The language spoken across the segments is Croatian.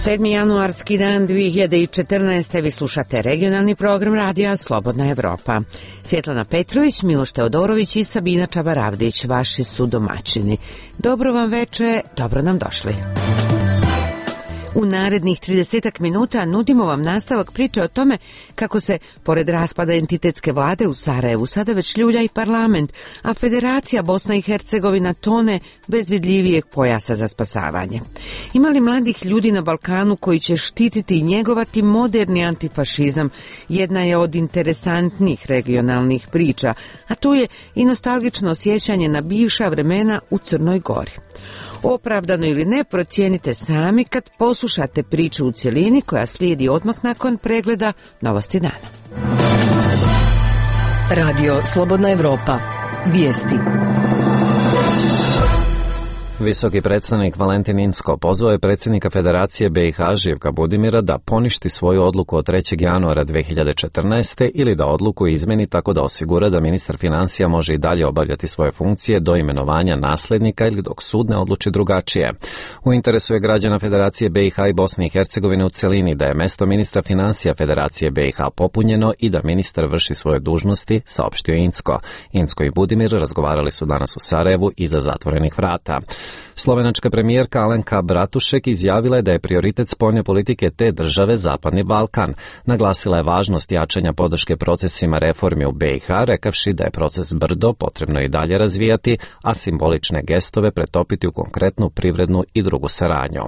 7. januarski dan 2014. Vi slušate regionalni program radija Slobodna Evropa. Svjetlana Petrović, Miloš Teodorović i Sabina Čabaravdić, vaši su domaćini. Dobro vam veče, dobro nam došli. U narednih 30 minuta nudimo vam nastavak priče o tome kako se, pored raspada entitetske vlade u Sarajevu, sada već ljulja i parlament, a Federacija Bosna i Hercegovina tone bez vidljivijeg pojasa za spasavanje. Ima li mladih ljudi na Balkanu koji će štititi i njegovati moderni antifašizam? Jedna je od interesantnih regionalnih priča, a tu je i nostalgično osjećanje na bivša vremena u Crnoj Gori. Opravdano ili ne, procijenite sami kad poslušate priču u cjelini koja slijedi odmah nakon pregleda novosti dana. Radio Slobodna Evropa. Vijesti. Visoki predstavnik Valentin Inzko pozvao je predsjednika Federacije BiH Živka Budimira da poništi svoju odluku od 3. januara 2014. ili da odluku izmeni tako da osigura da ministar financija može i dalje obavljati svoje funkcije do imenovanja nasljednika ili dok sud ne odluči drugačije. U interesu je građana Federacije BiH i Bosne i Hercegovine u celini da je mjesto ministra financija Federacije BiH popunjeno i da ministar vrši svoje dužnosti, saopštio Inzko. Inzko i Budimir razgovarali su danas u Sarajevu iza zatvorenih vrata. Slovenačka premijerka Alenka Bratušek izjavila je da je prioritet spoljne politike te države Zapadni Balkan. Naglasila je važnost jačanja podrške procesima reformi u BiH, rekavši da je proces brdo potrebno i dalje razvijati, a simbolične gestove pretopiti u konkretnu privrednu i drugu saradnju.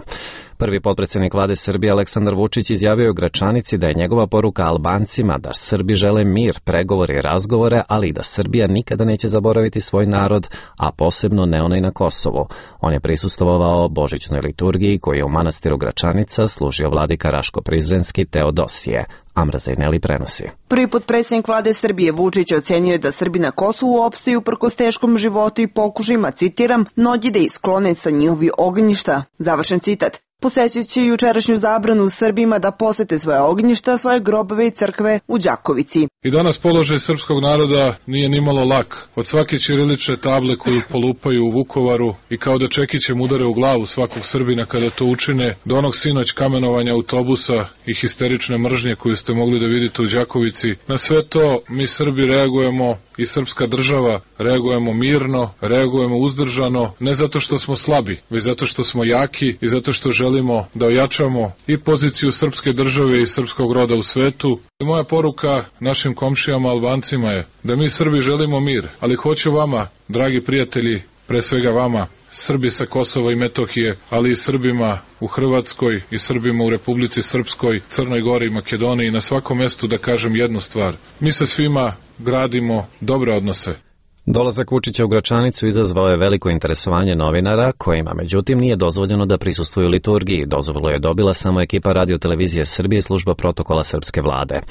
Prvi potpredsjednik vlade Srbije Aleksandar Vučić izjavio je u Gračanici da je njegova poruka Albancima da Srbi žele mir, pregovore i razgovore, ali i da Srbija nikada neće zaboraviti svoj narod, a posebno ne onaj na Kosovu. On je prisustvovao božićnoj liturgiji koju je u manastiru Gračanica služio vladika Raško-Prizrenski Teodosije. Amra Zajneli prenosi. Prvi potpredsjednik vlade Srbije Vučić ocenio je da Srbi na Kosovu opstaju uprkos teškom životu i pokušajima, citiram, mnogi da isklone sa njihovi ognjišta. Završen citat. Posećujući jučerašnju zabranu Srbima da posete svoje ognjišta, svoje grobove i crkve u Đakovici. I danas položaj srpskog naroda nije nimalo lak. Od svake ćirilične table koju polupaju u Vukovaru i kao da čekićem udare u glavu svakog Srbina kada to učine, do onog sinoć kamenovanja autobusa i histerične mržnje koju ste mogli da vidite u Đakovici, na sve to mi Srbi reagujemo i srpska država reagujemo mirno, reagujemo uzdržano, ne zato što smo slabi, već zato što smo jaki i zato što želimo da ojačamo i poziciju srpske države i srpskog roda u svetu. I moja poruka našim komšijama Albancima je da mi Srbi želimo mir, ali hoću vama, dragi prijatelji, pre svega vama, Srbi sa Kosova i Metohije, ali i Srbima u Hrvatskoj i Srbima u Republici Srpskoj, Crnoj Gori i Makedoniji, na svakom mjestu da kažem jednu stvar. Mi sa svima gradimo dobre odnose. Dolazak Vučića u Gračanicu izazvao je veliko interesovanje novinara, kojima međutim nije dozvoljeno da prisustvuju liturgiji. Dozvolu je dobila samo ekipa Radio-televizije Srbije i služba protokola srpske vlade.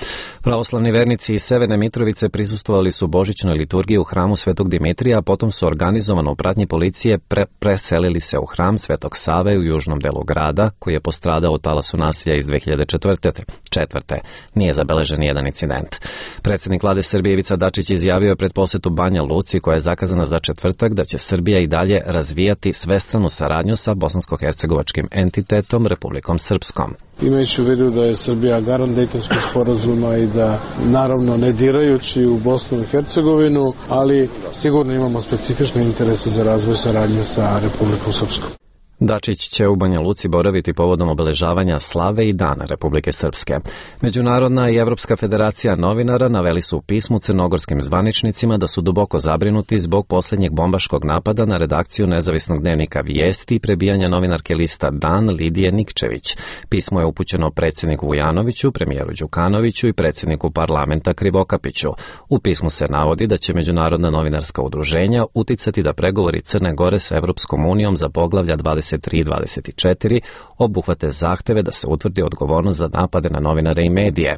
Pravoslavni vernici iz Severne Mitrovice prisustvovali su božićnoj liturgiji u hramu Svetog Dimitrija, a potom su organizovano u pratnji policije preselili se u hram Svetog Save u južnom delu grada, koji je postradao u talasu nasilja iz 2004. Nije zabeležen nijedan incident. Predsjednik vlade Srbije Ivica Dačić izjavio je pred posjetu Banja Luci, koja je zakazana za četvrtak, da će Srbija i dalje razvijati svestranu saradnju sa bosansko-hercegovačkim entitetom Republikom Srpskom. Imajući u vidu da je Srbija garant Dejtonskog sporazuma i da, naravno, ne dirajući u Bosnu i Hercegovinu, ali sigurno imamo specifične interese za razvoj saradnje sa Republikom Srpskom. Dačić će u Banja Luci boraviti povodom obeležavanja slave i dana Republike Srpske. Međunarodna i Evropska federacija novinara naveli su u pismu crnogorskim zvaničnicima da su duboko zabrinuti zbog posljednjeg bombaškog napada na redakciju nezavisnog dnevnika Vijesti i prebijanja novinarke lista Dan Lidije Nikčević. Pismo je upućeno predsjedniku Vujanoviću, premijeru Đukanoviću i predsjedniku parlamenta Krivokapiću. U pismu se navodi da će međunarodna novinarska udruženja uticati da pregovori Crne Gore sa Evropskom unijom za poglavlja 23 i 24 obuhvate zahteve da se utvrdi odgovornost za napade na novinare i medije.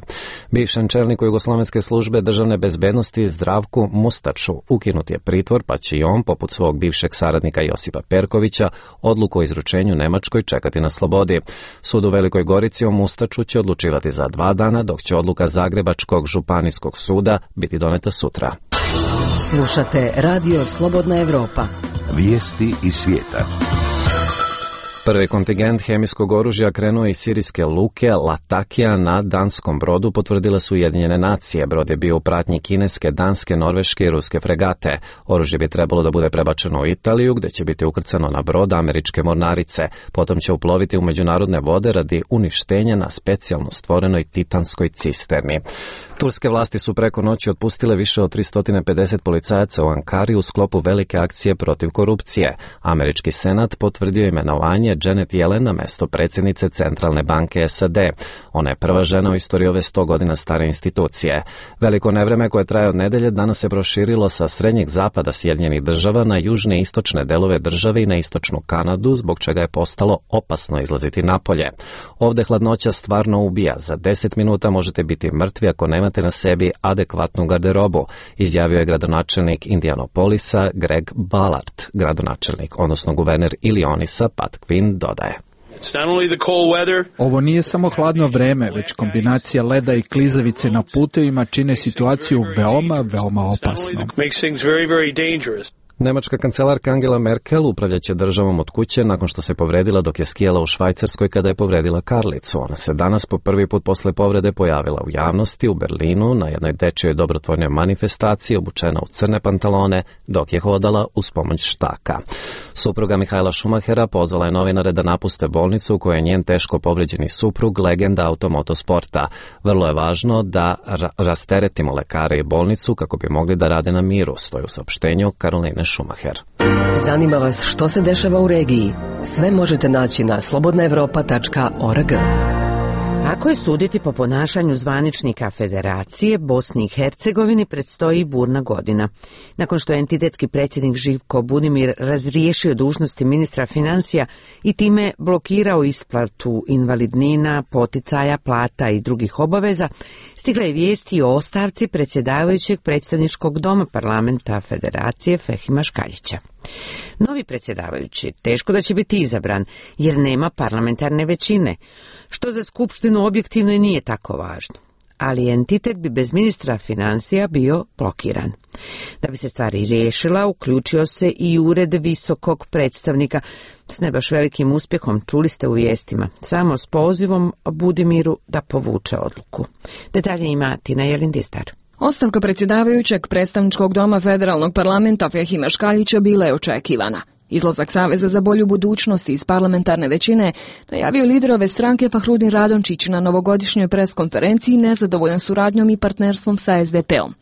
Bivšem čelniku Jugoslovenske službe državne bezbednosti Zdravku Mustaču ukinut je pritvor, pa će i on, poput svog bivšeg saradnika Josipa Perkovića, odluku o izručenju Nemačkoj čekati na slobodi. Sud u Velikoj Gorici o Mustaču će odlučivati za 2 dana, dok će odluka Zagrebačkog županijskog suda biti doneta sutra. Slušate Radio Slobodna Evropa. Vijesti iz svijeta. Prvi kontingent hemijskog oružja krenuo iz sirijske luke Latakija na danskom brodu, potvrdile su Ujedinjene nacije. Brod je bio u pratnji kineske, danske, norveške i ruske fregate. Oružje bi trebalo da bude prebačeno u Italiju, gde će biti ukrcano na brod američke mornarice. Potom će uploviti u međunarodne vode radi uništenja na specijalno stvorenoj titanskoj cisterni. Turske vlasti su preko noći otpustile više od 350 policajaca u Ankari u sklopu velike akcije protiv korupcije. Američki senat potvrdio imenovanje Janet Yellen na mesto predsjednice Centralne banke SAD. Ona je prva žena u istoriji ove 100 godina stare institucije. Veliko nevreme koje traje od nedelje danas se proširilo sa srednjeg zapada Sjedinjenih država na južne i istočne delove države i na istočnu Kanadu, zbog čega je postalo opasno izlaziti napolje. Ovde hladnoća stvarno ubija. Za 10 minuta možete biti mrtvi ako nemate na sebi adekvatnu garderobu, izjavio je gradonačelnik Indianapolisa Greg Ballard. Gradonačelnik, odnosno guverner Illinoisa Pat Quinn dodaje. Ovo nije samo hladno vreme, već kombinacija leda i klizavice na putevima čine situaciju veoma opasnom. Nemačka kancelarka Angela Merkel upravljaće državom od kuće nakon što se povredila dok je skijala u Švajcarskoj kada je povredila Karlicu. Ona se danas po prvi put posle povrede pojavila u javnosti u Berlinu na jednoj dečijoj dobrotvornoj manifestaciji obučena u crne pantalone dok je hodala uz pomoć štaka. Supruga Mihaela Schumachera pozvala je novinare da napuste bolnicu u kojoj je njen teško povređeni suprug legenda automotosporta. Vrlo je važno da rasteretimo lekare i bolnicu kako bi mogli da rade na miru, stoji u saopštenju Karoline Schumacher. Zanima vas što se dešava u regiji? Sve možete naći na slobodnaevropa.org. Ako je suditi po ponašanju zvaničnika Federacije, Bosni i Hercegovini predstoji burna godina. Nakon što je entitetski predsjednik Živko Budimir razriješio dužnosti ministra financija i time blokirao isplatu invalidnina, poticaja, plata i drugih obaveza, stigla je vijesti o ostavci predsjedavajućeg predstavničkog doma parlamenta Federacije Fehima Škaljića. Novi predsjedavajući teško da će biti izabran jer nema parlamentarne većine, što za skupštinu objektivno i nije tako važno. Ali entitet bi bez ministra financija bio blokiran. Da bi se stvari riješila, uključio se i ured visokog predstavnika s ne baš velikim uspjehom, čuli ste u vijestima, samo s pozivom Budimiru da povuče odluku. Detalje ima Tina Jelindistar. Ostavka predsjedavajućeg predstavničkog doma federalnog parlamenta Fehima Škaljića bila je očekivana. Izlazak Saveza za bolju budućnost iz parlamentarne većine najavio lider ove stranke Fahrudin Radončić na novogodišnjoj preskonferenciji nezadovoljan suradnjom i partnerstvom sa SDP-om.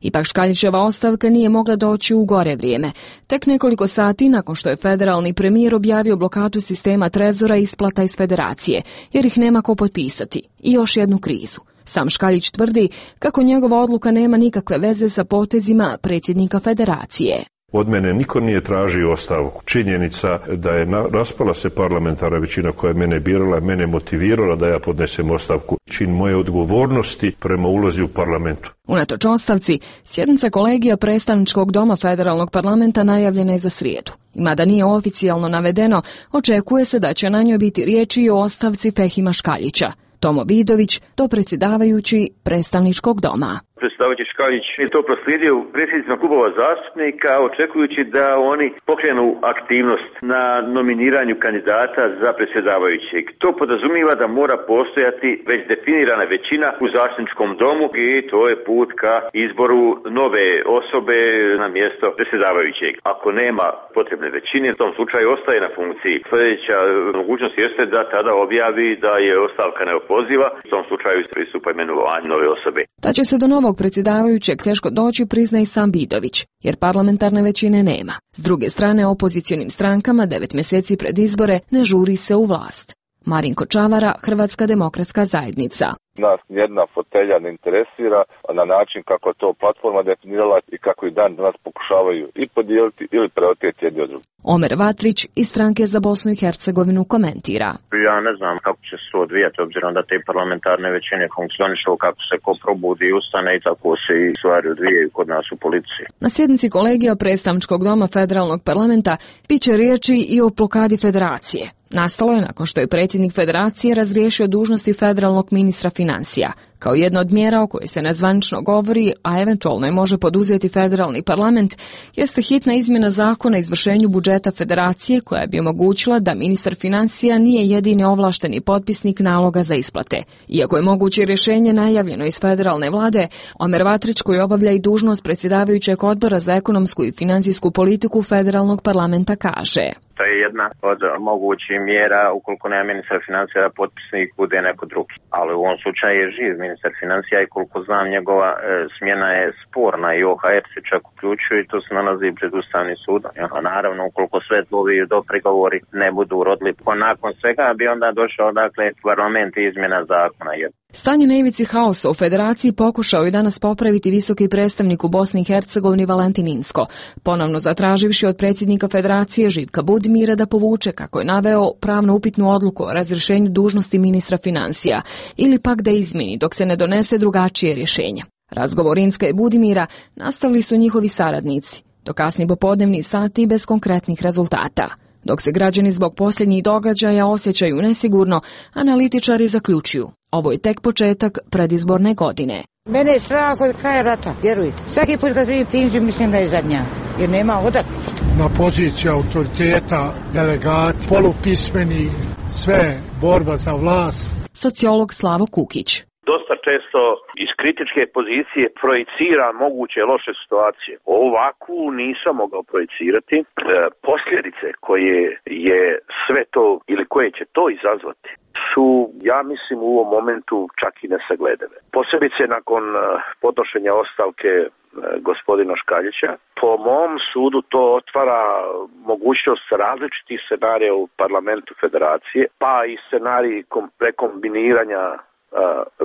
Ipak Škaljićeva ostavka nije mogla doći u gore vrijeme. Tek nekoliko sati nakon što je federalni premijer objavio blokadu sistema trezora i isplata iz federacije, jer ih nema ko potpisati. I još jednu krizu. Sam Škaljić tvrdi kako njegova odluka nema nikakve veze sa potezima predsjednika federacije. Od mene niko nije tražio ostavku. Činjenica da je raspala se parlamentarna većina koja je mene birala, mene motivirala da ja podnesem ostavku. Čin moje odgovornosti prema ulozi u parlamentu. Unatoč ostavci, sjednica kolegija predstavničkog doma federalnog parlamenta najavljena je za srijedu. Mada nije oficijalno navedeno, očekuje se da će na njoj biti riječi i o ostavci Fehima Škaljića. Tomo Vidović, dopredsjedavajući predstavničkog doma. Predsjedavajući Škaljić je to proslijedio predsjednicima klubova zastupnika, očekujući da oni pokrenu aktivnost na nominiranju kandidata za predsjedavajućeg. To podrazumijeva da mora postojati već definirana većina u zastupničkom domu i to je put ka izboru nove osobe na mjesto predsjedavajućeg. Ako nema potrebne većine, u tom slučaju ostaje na funkciji. Sljedeća mogućnost jeste da tada objavi da je ostavka neopoziva, u tom slučaju pristupa imenovanju nove osobe. Da će se do novog predsjedavajućeg teško doći, prizna i sam Vidović, jer parlamentarne većine nema. S druge strane, opozicionim strankama 9 mjeseci pred izbore ne žuri se u vlast. Marinko Čavara, Hrvatska demokratska zajednica. Nas jedna fotelja ne interesira na način kako to platforma definirala i kako i dan danas pokušavaju i podijeliti ili preoteti jedni od drugih. Omer Vatrić iz stranke za Bosnu i Hercegovinu komentira. Ja ne znam kako će se odvijati obzirom da te parlamentarne većine funkcionišu, kako se ko probudi i ustane i tako se i stvari odvijaju kod nas u policiji. Na sjednici kolegija predstavničkog doma federalnog parlamenta biće riječi i o blokadi federacije. Nastalo je nakon što je predsjednik federacije razriješio dužnosti federalnog ministra financija. Kao jedna od mjera o kojoj se nezvanično govori, a eventualno je može poduzeti federalni parlament, jeste hitna izmjena zakona o izvršenju budžeta federacije koja bi omogućila da ministar financija nije jedini ovlašteni potpisnik naloga za isplate. Iako je moguće rješenje najavljeno iz federalne vlade, Omer Vatrić, koji obavlja i dužnost predsjedavajućeg odbora za ekonomsku i financijsku politiku federalnog parlamenta, kaže: To je jedna od mogućih mjera ukoliko nema ministar financija da potpisnik bude neko drugi. Ali u ovom slučaju je živ ministar financija i koliko znam njegova smjena je sporna i OHR se čak uključuje i to se nalazi pred Ustavnim sudom. Naravno, ukoliko sve ovi do pregovori ne budu urodili, nakon svega bi onda došao parlament i izmjena zakona. Stanje na ivici haosa u federaciji pokušao je danas popraviti visoki predstavnik u Bosni i Hercegovini Valentin Inzko, ponovno zatraživši od predsjednika federacije Živka Budimira da povuče, kako je naveo, pravno upitnu odluku o razrješenju dužnosti ministra financija ili pak da izmjeni dok se ne donese drugačije rješenje. Razgovor Inzka i Budimira nastavili su njihovi saradnici, do kasni popodnevni sati bez konkretnih rezultata. Dok se građani zbog posljednjih događaja osjećaju nesigurno, analitičari zaključuju: ovo je tek početak predizborne godine. Mene je strah od kraja rata, vjerujte. Svaki put kad primim penziju mislim da je zadnja, jer nema odakle. Na poziciji autoriteta, delegati, polupismeni, sve borba za vlast. Sociolog Slavo Kukić: dosta često iz kritičke pozicije projicira moguće loše situacije. Ovakvu nisam mogao projicirati. Posljedice koje je sve to ili koje će to izazvati su, ja mislim, u ovom momentu čak i nesagledive. Posebice nakon podnošenja ostavke gospodina Škaljića. Po mom sudu to otvara mogućnost različitih scenarija u parlamentu federacije, pa i scenarij prekombiniranja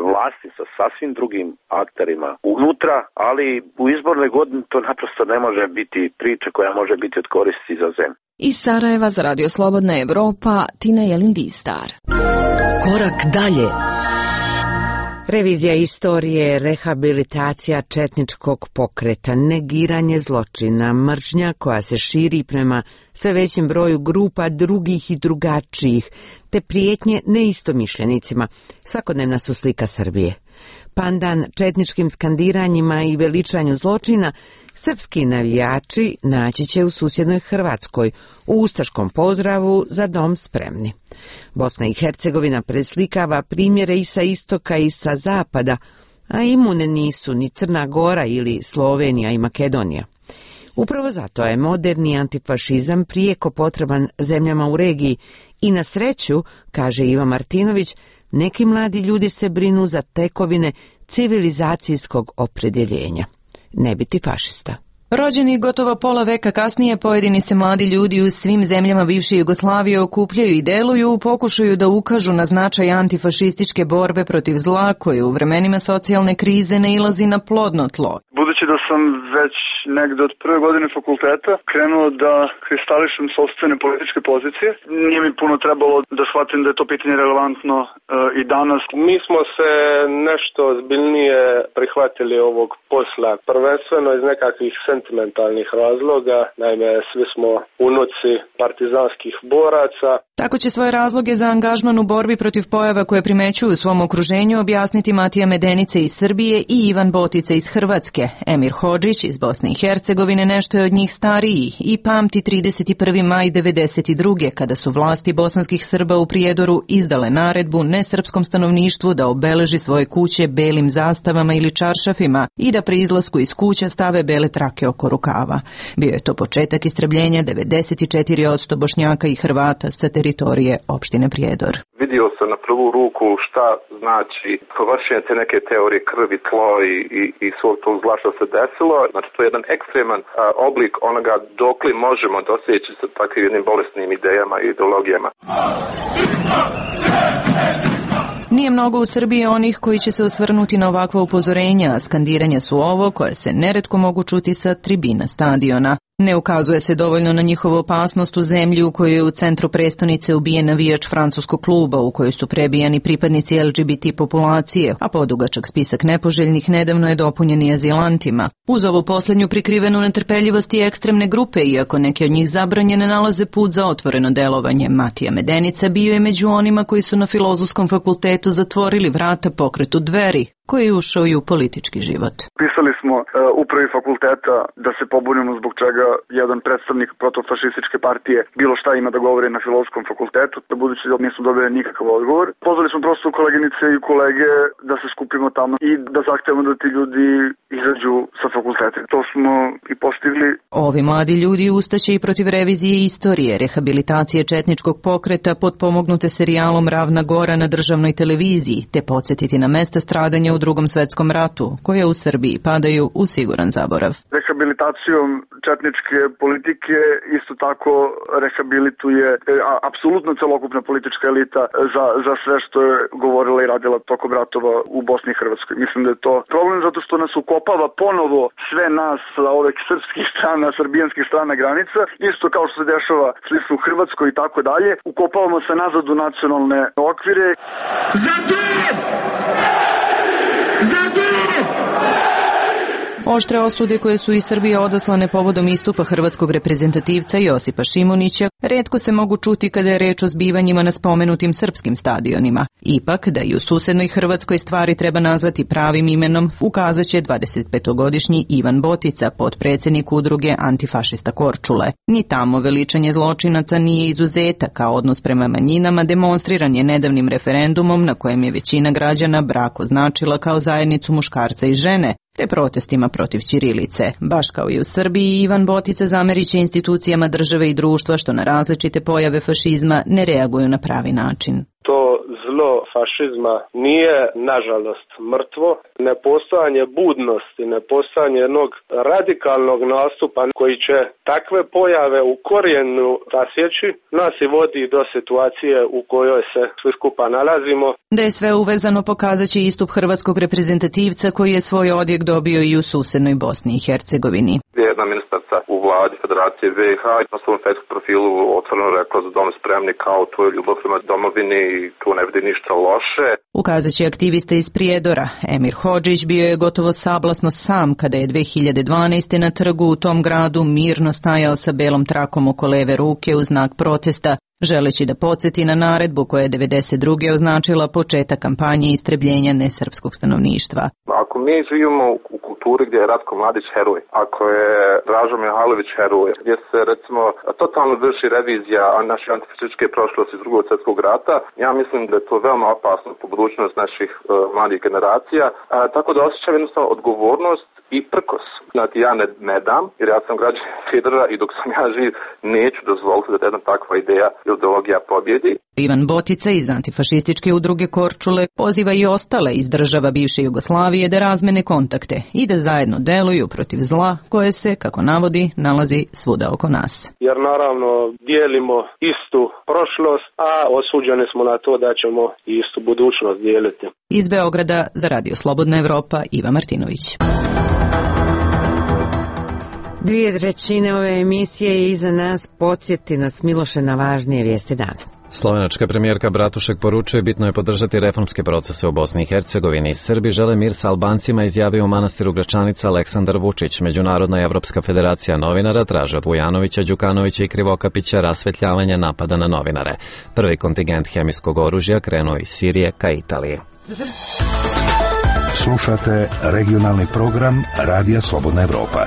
vlasti sa sasvim drugim akterima unutra, ali u izbornoj godini to naprosto ne može biti priča koja može biti od koristi za zemlju. Iz Sarajeva za Radio Slobodna Evropa, Tina Jelindistar. Korak dalje. Revizija istorije, rehabilitacija četničkog pokreta, negiranje zločina, mržnja koja se širi prema sve većem broju grupa drugih i drugačijih, te prijetnje neistomišljenicima, svakodnevna su slika Srbije. Pandan četničkim skandiranjima i veličanju zločina, srpski navijači naći će u susjednoj Hrvatskoj, u ustaškom pozdravu Za dom spremni. Bosna i Hercegovina preslikava primjere i sa istoka i sa zapada, a imune nisu ni Crna Gora ili Slovenija i Makedonija. Upravo zato je moderni antifašizam prijeko potreban zemljama u regiji i na sreću, kaže Iva Martinović, neki mladi ljudi se brinu za tekovine civilizacijskog opredjeljenja. Ne biti fašista. Rođeni gotovo pola veka kasnije, pojedini se mladi ljudi u svim zemljama bivše Jugoslavije okupljaju i deluju u pokušaju da ukažu na značaj antifašističke borbe protiv zla koje u vremenima socijalne krize nailazi na plodno tlo. Budući da sam već negde od prve godine fakulteta krenuo da kristališem sopstvene političke pozicije, nije mi puno trebalo da shvatim da je to pitanje relevantno i danas. Mi smo se nešto ozbiljnije prihvatili ovog posla, prvenstveno iz nekakvih sentimentalnih razloga, naime svi smo unuci partizanskih boraca. Tako će svoje razloge za angažman u borbi protiv pojava koje primećuju u svom okruženju objasniti Matija Medenica iz Srbije i Ivan Botica iz Hrvatske. Emir Hodžić iz Bosne i Hercegovine nešto je od njih stariji i pamti 31. maj 1992. kada su vlasti bosanskih Srba u Prijedoru izdale naredbu nesrpskom stanovništvu da obeleži svoje kuće belim zastavama ili čaršafima i da pri izlasku iz kuća stave bele trake oko rukava. Bio je to početak istrebljenja 94% Bošnjaka i Hrvata sa teritorije opštine Prijedor. Vidio sam na prvu ruku šta znači vršenje te neke teorije krvi, tlo i svog tog zla što se desilo. Znači to je jedan ekstreman oblik onoga dokle možemo doseći sa takvim jednim bolesnim idejama i ideologijama. Nije mnogo u Srbiji onih koji će se osvrnuti na ovakva upozorenja, a skandiranja su ovo koje se neretko mogu čuti sa tribina stadiona. Ne ukazuje se dovoljno na njihovu opasnost u zemlji u kojoj je u centru prestonice ubijen navijač francuskog kluba u kojoj su prebijani pripadnici LGBT populacije, a podugačak spisak nepoželjnih nedavno je dopunjen i azilantima. Uz ovu posljednju prikrivenu netrpeljivost i ekstremne grupe, iako neke od njih zabranjene, nalaze put za otvoreno delovanje. Matija Medenica bio je među onima koji su na Filozofskom fakultetu zatvorili vrata pokretu Dveri, koji je ušao i u politički život. Pisali smo upravi fakulteta da se pobunimo zbog čega jedan predstavnik protofašističke partije bilo šta ima da govori na Filozofskom fakultetu, da budući da nismo dobili nikakav odgovor. Pozvali smo prosto koleginice i kolege da se skupimo tamo i da zahtevamo da ti ljudi izađu sa fakulteta. To smo i postigli. Ovi mladi ljudi ustaće i protiv revizije istorije, rehabilitacije četničkog pokreta potpomognute serijalom Ravna Gora na državnoj televiziji, te podsjetiti na mesta stradanja u Drugom svetskom ratu, koje u Srbiji padaju u siguran zaborav. Rehabilitacijom četničke politike isto tako rehabilituje apsolutno celokupna politička elita za sve što je govorila i radila tokom ratova u Bosni i Hrvatskoj. Mislim da je to problem zato što nas ukopava ponovo sve nas sa ovih srpskih strana, srbijanskih strana granica, isto kao što se dešava slično u Hrvatskoj i tako dalje. Ukopavamo se nazad u nacionalne okvire. Oštre osude koje su iz Srbije odaslane povodom istupa hrvatskog reprezentativca Josipa Šimunića retko se mogu čuti kada je reč o zbivanjima na spomenutim srpskim stadionima. Ipak, da i u susednoj Hrvatskoj stvari treba nazvati pravim imenom, ukazaće 25-godišnji Ivan Botica, potpredsjednik udruge Antifašista Korčule. Ni tamo veličanje zločinaca nije izuzetak, a odnos prema manjinama demonstriran je nedavnim referendumom na kojem je većina građana brak označila kao zajednicu muškarca i žene, te protestima protiv ćirilice. Baš kao i u Srbiji, Ivan Botica zameriće institucijama države i društva što na različite pojave fašizma ne reaguju na pravi način. To zlo fašizma nije, nažalost, mrtvo. Nepostojanje budnosti, nepostojanje jednog radikalnog nastupa koji će takve pojave u korijenu rasjeći, nas i vodi do situacije u kojoj se svi skupa nalazimo. Da je sve uvezano pokazat će istup hrvatskog reprezentativca koji je svoj odjek dobio i u susednoj Bosni i Hercegovini. Jedna ministarca u vladi Federacije BiH na svom Facebook profilu otvoreno rekla za dom spremni kao to je ljubav prema domovini i tu ne vidi ništa loše. Ukazat će aktivista iz Prijedora. Emir Hodžić bio je gotovo sablasno sam kada je 2012. na trgu u tom gradu mirno stajao sa belom trakom oko leve ruke u znak protesta, želeći da podsjeti na naredbu koja je 1992. označila početak kampanje istrebljenja nesrpskog stanovništva. Ako mi živimo u kulturi gdje je Ratko Mladić heroj, ako je Dražo Mihajlović heroj, gdje se recimo totalno vrši revizija naše antifašističke prošlosti iz Drugog svjetskog rata, ja mislim da je to veoma opasno po budućnost naših mladih generacija, tako da osjećam jednostavno odgovornost i prkos. Znači ja ne dam, jer ja sam građanin Federa i dok sam ja živ neću dozvoliti da jedna takva ideja ili ideologija pobjedi. Ivan Botica iz antifašističke udruge Korčule poziva i ostale iz država bivše Jugoslavije da razmene kontakte i da zajedno deluju protiv zla koje se, kako navodi, nalazi svuda oko nas. Jer naravno dijelimo istu prošlost, a osuđeni smo na to da ćemo istu budućnost dijeliti. Iz Beograda za Radio Slobodna Evropa, Iva Martinović. 2/3 ove emisije je iza nas, podsjeti nas Miloše na važnije vijesti dana. Slovenačka premijerka Bratušek poručuje bitno je podržati reformske procese u Bosni i Hercegovini. Srbi žele mir sa Albancima, izjavio u manastiru Gračanica Aleksandar Vučić. Međunarodna i Evropska federacija novinara traže od Vujanovića, Đukanovića i Krivokapića rasvetljavanje napada na novinare. Prvi kontingent hemijskog oružja krenuo iz Sirije ka Italiji. Slušate regionalni program Radija Slobodna Evropa.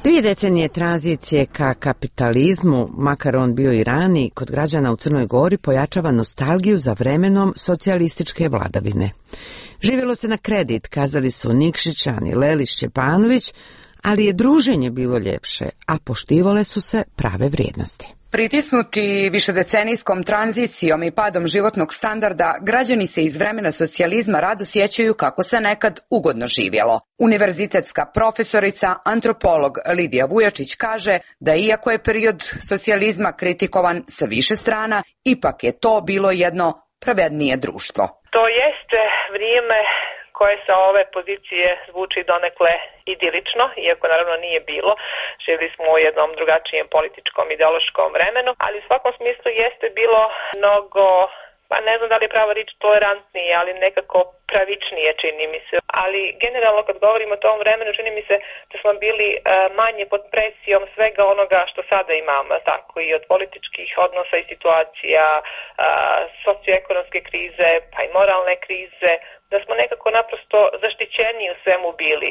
2 decenije tranzicije ka kapitalizmu, makar on bio i rani, kod građana u Crnoj Gori pojačava nostalgiju za vremenom socijalističke vladavine. Živjelo se na kredit, kazali su Nikšić, Ani Lelić, Čepanović, ali je druženje bilo ljepše, a poštivale su se prave vrijednosti. Pritisnuti višedecenijskom tranzicijom i padom životnog standarda, građani se iz vremena socijalizma rado sjećaju kako se nekad ugodno živjelo. Univerzitetska profesorica, antropolog Lidija Vujačić kaže da iako je period socijalizma kritikovan sa više strana, ipak je to bilo jedno pravednije društvo. To jeste vrijeme koje sa ove pozicije zvuči donekle idilično, iako naravno nije bilo. Živjeli smo u jednom drugačijem političkom, ideološkom vremenu, ali u svakom smislu jeste bilo mnogo, pa ne znam da li je pravo riječ tolerantnije, ali nekako pravičnije čini mi se. Ali generalno kad govorimo o tom vremenu čini mi se da smo bili manje pod presijom svega onoga što sada imamo, tako i od političkih odnosa i situacija, socioekonomske krize, pa i moralne krize, da smo nekako naprosto zaštićeni u svemu bili,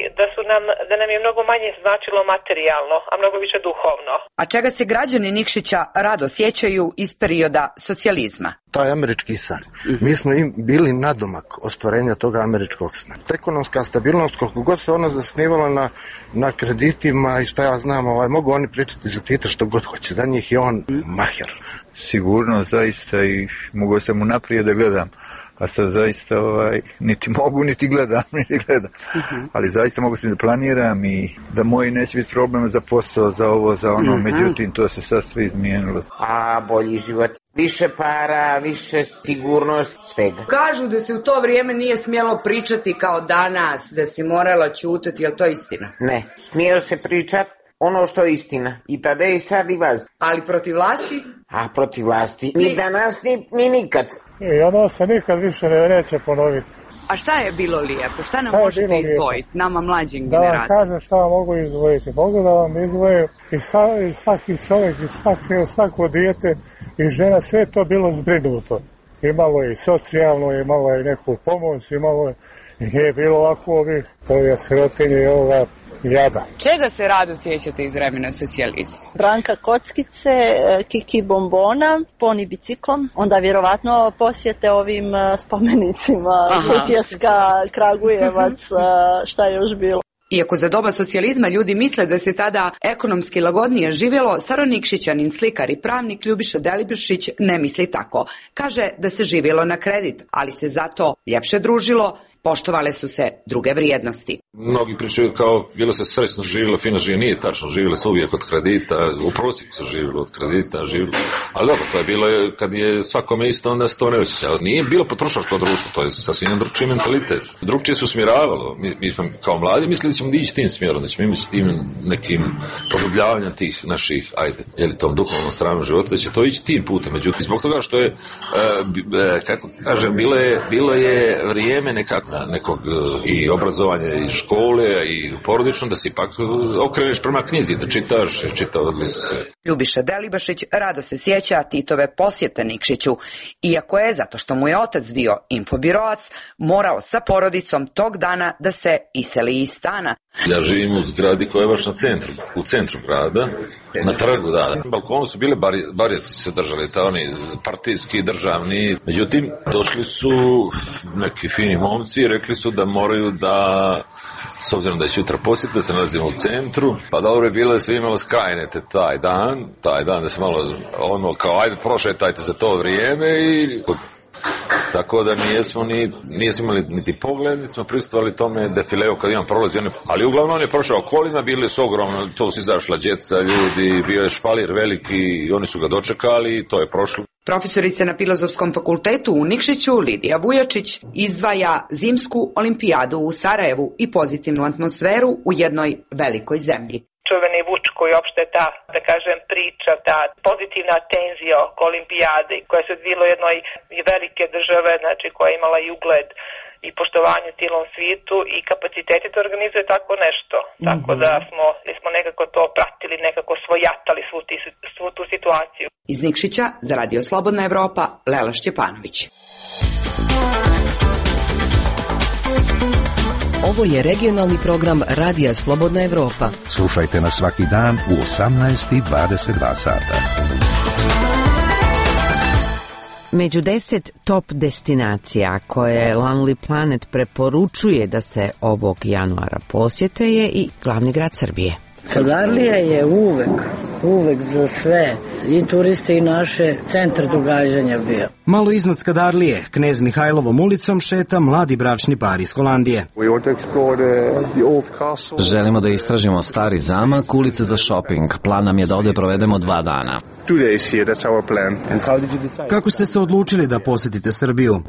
da nam je mnogo manje značilo materijalno, a mnogo više duhovno. A čega se građani Nikšića rado sjećaju iz perioda socijalizma? To je američki san. Mi smo im bili nadomak ostvarenja toga američkog sna. Ekonomska stabilnost, koliko god se ona zasnivala na kreditima i šta ja znam, mogu oni pričati za Tita što god hoće. Za njih je on maher. Sigurno, zaista, i mogu sam mu naprijed da gledam. A sad zaista niti mogu, niti gledam. Ali zaista mogu se da planiram i da moji neće biti problema za posao, za ovo, za ono. Međutim, to se sad sve izmijenilo. A bolji život, više para, više sigurnost, svega. Kažu da se u to vrijeme nije smjelo pričati kao danas, da si morala ćutati, je li to istina? Ne, smijelo se pričati ono što je istina. I tada i sad i vas. Ali protiv vlasti? A protiv vlasti ni danas, ni nikad. I ono se nikad više neće ponoviti. A šta je bilo lijepo? Šta nam možete izdvojiti, nama mlađim generacijama? Da vam kažem šta vam mogu izdvojiti. Mogu da vam izdvojim i svaki čovjek, i svako dijete i žena, sve to bilo zbrinuto. Imalo i socijalno, imalo i neku pomoć, imalo i nije bilo ovako ovih, to je sirotinje i ovoga jada. Čega se rado sjećate iz vremena socijalizma? Branka kockice, Kiki bombona, poni biciklom, onda vjerovatno posjete ovim spomenicima, Sutjeska, Kragujevac, šta je još bilo. Iako za doba socijalizma ljudi misle da se tada ekonomski lagodnije živjelo, staronikšićanin, slikar i pravnik Ljubiša Delibašić ne misli tako. Kaže da se živjelo na kredit, ali se zato ljepše družilo, poštovale su se druge vrijednosti. Mnogi pričaju kao bilo se srećno živjelo, fino živjelo, nije tačno, živjelo se uvijek od kredita, u prosjeku se živjelo od kredita, ali dobro, to je bilo kad je svakome isto, onda se to ne osjećalo. Nije bilo potrošačko društvo, to je sasvim drugčiji mentalitet. Drugčije se usmjeravalo, mi smo kao mladi mislili da ćemo ići tim smjerom, da ćemo imati s tim nekim produbljavanjem tih naših, tom duhovnom stranu života, da će to ići tim putem. Međutim, zbog toga što je, kako kažem, bilo je vrijeme nekog i obrazovanja i škole i porodično, da se ipak okreneš prema knjizi, da čitaš, čitavali su se. Ljubiša Delibašić rado se sjeća Titove posjete Nikšiću, iako je, zato što mu je otac bio infobirovac, morao sa porodicom tog dana da se iseli iz stana. Ja živim u zgradi koja je baš u centru grada, na trgu, da. Na balkonu su bile barjaci se držali, oni partijski, državni. Međutim, došli su neki fini momci i rekli su da moraju da, s obzirom da je sutra posjet, da se nalazimo u centru, pa dobro je bilo da se imalo skrajnete taj dan da se malo kao ajde prošetajte za to vrijeme i... Tako da nismo imali niti pogled, niti smo prisustvovali tome defileu kad imam prolazi. Ali uglavnom on je prošao kolima, bili su ogromno, to su izašla djeca, ljudi, bio je špalir veliki i oni su ga dočekali i to je prošlo. Profesorica na Filozofskom fakultetu u Nikšiću, Lidija Vujačić, izdvaja zimsku olimpijadu u Sarajevu i pozitivnu atmosferu u jednoj velikoj zemlji. Čuveni Vuč koji uopšte ta, da kažem, priča, ta pozitivna tenzija oko olimpijade koja se odvila u jednoj velike države, znači koja je imala i ugled i poštovanje u cijelom svijetu i kapaciteti da organizuje tako nešto. Tako da smo nekako to pratili, nekako svojatali svu tu situaciju. Iz Nikšića za Radio Slobodna Evropa, Lela Šćepanović. Ovo je regionalni program Radija Slobodna Evropa. Slušajte nas svaki dan u 18:22 sata. Među 10 top destinacija koje Lonely Planet preporučuje da se ovog januara posjete je i glavni grad Srbije. Skadarlija je uvek za sve, i turiste i naše, centar događanja bio. Malo iznad Skadarlije, Knez Mihajlovom ulicom šeta mladi bračni par iz Holandije. Želimo da istražimo stari zamak, ulice za shopping. Plan nam je da ovdje provedemo 2 dana. Kako ste se odlučili da posjetite Srbiju?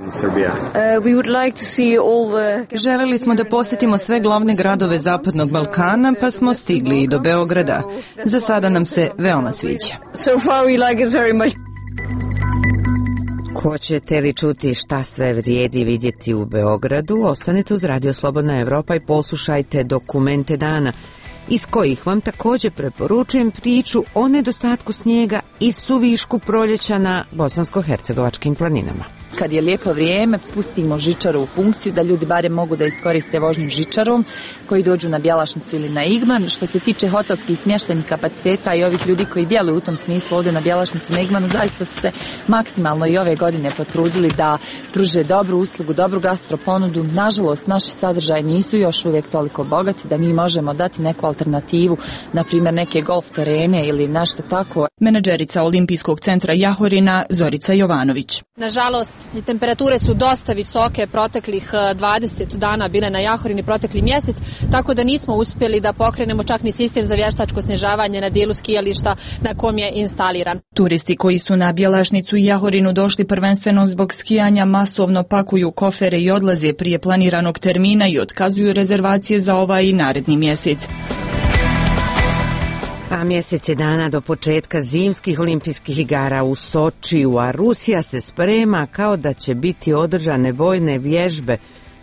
Želeli smo da posjetimo sve glavne gradove Zapadnog Balkana, pa smo stigli i do Beograda. Za sada nam se veoma sviđa. Hoćete li čuti šta sve vrijedi vidjeti u Beogradu? Ostanite uz Radio Slobodna Evropa i poslušajte Dokumente dana. iz kojih vam također preporučujem priču o nedostatku snijega i suvišku proljeća na bosansko-hercegovačkim planinama. Kad je lijepo vrijeme, pustimo žičaru u funkciju da ljudi barem mogu da iskoriste vožnju žičarom koji dođu na Bjelašnicu ili na Igman. Što se tiče hotelskih smještajnih kapaciteta i ovih ljudi koji djeluju u tom smislu ovdje na Bjelašnicu i na Igmanu, zaista su se maksimalno i ove godine potrudili da pruže dobru uslugu, dobru gastroponudu. Nažalost, naši sadržaji nisu još uvijek toliko bogati da mi možemo dati neku alternativu, na primjer neke golf terene ili nešto tako. Menadžerica Olimpijskog centra Jahorina Zorica Jovanović. Nažalost, temperature su dosta visoke, proteklih 20 dana bile na Jahorini protekli mjesec, tako da nismo uspjeli da pokrenemo čak ni sistem za vještačko snižavanje na dijelu skijališta na kom je instaliran. Turisti koji su na Bjelašnicu i Jahorinu došli prvenstveno zbog skijanja masovno pakuju kofere i odlaze prije planiranog termina i otkazuju rezervacije za ovaj i naredni mjesec. A mjeseci dana do početka zimskih olimpijskih igara u Sočiju, a Rusija se sprema kao da će biti održane vojne vježbe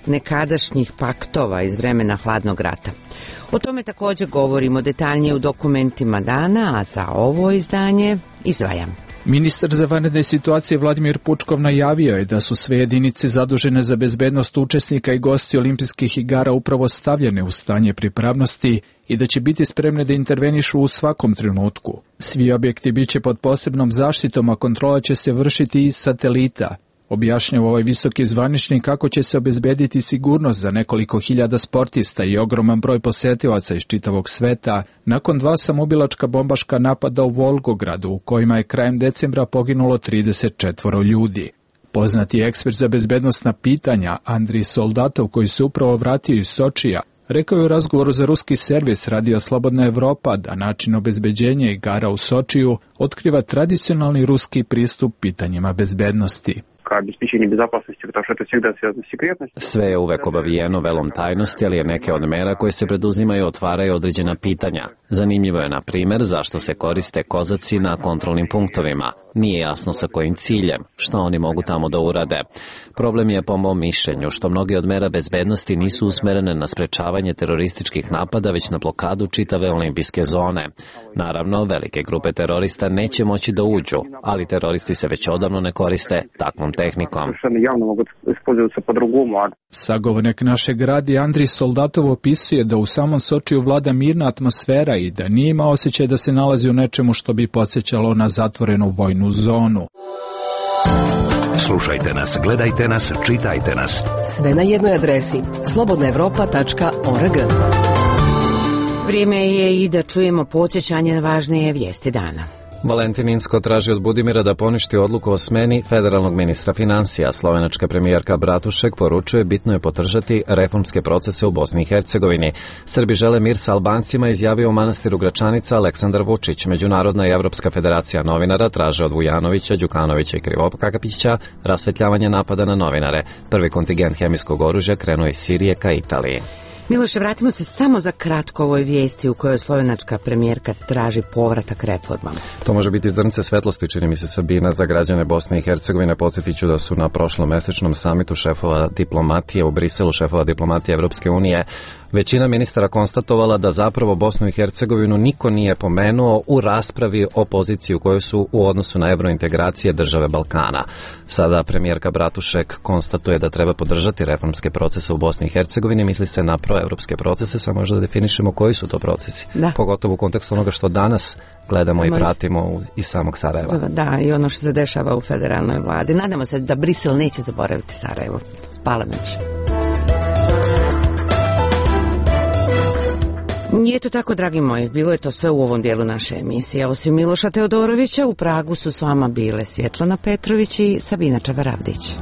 nekadašnjih paktova iz vremena hladnog rata. O tome također govorimo detaljnije u dokumentima dana, a za ovo izdanje izdvajam. Ministar za vanredne situacije Vladimir Pučkov najavio je da su sve jedinice zadužene za bezbednost učesnika i gosti olimpijskih igara upravo stavljene u stanje pripravnosti i da će biti spremne da intervenišu u svakom trenutku. Svi objekti bit će pod posebnom zaštitom, a kontrola će se vršiti iz satelita. Objašnjava ovaj visoki zvaničnik kako će se obezbediti sigurnost za nekoliko hiljada sportista i ogroman broj posetilaca iz čitavog sveta nakon 2 samoubilačka bombaška napada u Volgogradu u kojima je krajem decembra poginulo 34 ljudi. Poznati ekspert za bezbednosna pitanja Andrij Soldatov, koji se upravo vratio iz Sočija, rekao je u razgovoru za ruski servis Radija Slobodna Evropa da način obezbeđenja igara u Sočiju otkriva tradicionalni ruski pristup pitanjima bezbednosti. Sve je uvek obavijeno velom tajnosti, ali je neke od mera koje se preduzimaju otvaraju određena pitanja. Zanimljivo je, na primjer, zašto se koriste kozaci na kontrolnim punktovima. Nije jasno sa kojim ciljem, što oni mogu tamo da urade. Problem je, po mom mišljenju, što mnogi od mera bezbednosti nisu usmerene na sprečavanje terorističkih napada, već na blokadu čitave olimpijske zone. Naravno, velike grupe terorista neće moći da uđu, ali teroristi se već odavno ne koriste takvom tehnikom. Sagovornik našeg radija Andrij Soldatov opisuje da u samom Sočiju vlada mirna atmosfera i da nije ima osjećaj da se nalazi u nečemu što bi podsjećalo na zatvorenu vojnu zonu. Slušajte nas, gledajte nas, čitajte nas. Sve na jednoj adresi slobodnaevropa.org. Vrijeme je i da čujemo podsjećanje na važnije vijesti dana. Valentin Incko traži od Budimira da poništi odluku o smeni federalnog ministra financija. Slovenačka premijerka Bratušek poručuje bitno je podržati reformske procese u Bosni i Hercegovini. Srbi žele mir sa Albancima, izjavio u manastiru Gračanica Aleksandar Vučić. Međunarodna i Evropska federacija novinara traže od Vujanovića, Đukanovića i Krivokapića rasvetljavanje napada na novinare. Prvi kontingent hemijskog oružja krenuo iz Sirije ka Italiji. Miloše, vratimo se samo za kratko ovoj vijesti u kojoj slovenačka premijerka traži povratak reformama. To može biti zrnce svetlosti, čini mi se, Sabina, za građane Bosne i Hercegovine. Podsjetit ću da su na prošlom mesečnom samitu šefova diplomatije u Briselu, šefova diplomatije Evropske unije, većina ministara konstatovala da zapravo Bosnu i Hercegovinu niko nije pomenuo u raspravi o poziciji u kojoj su u odnosu na evrointegracije države Balkana. Sada premijerka Bratušek konstatuje da treba podržati reformske procese u Bosni i Hercegovini, misli se na proevropske procese, samo možda da definišemo koji su to procesi. Da. Pogotovo u kontekstu onoga što danas gledamo i pratimo iz samog Sarajeva. Da, i ono što se dešava u federalnoj vladi. Nadamo se da Brisel neće zaboraviti Sarajevo. Hvala mi. I eto tako, dragi moji, bilo je to sve u ovom dijelu naše emisije. Osim Miloša Teodorovića, u Pragu su s vama bile Svjetlana Petrović i Sabina Čabaravdić.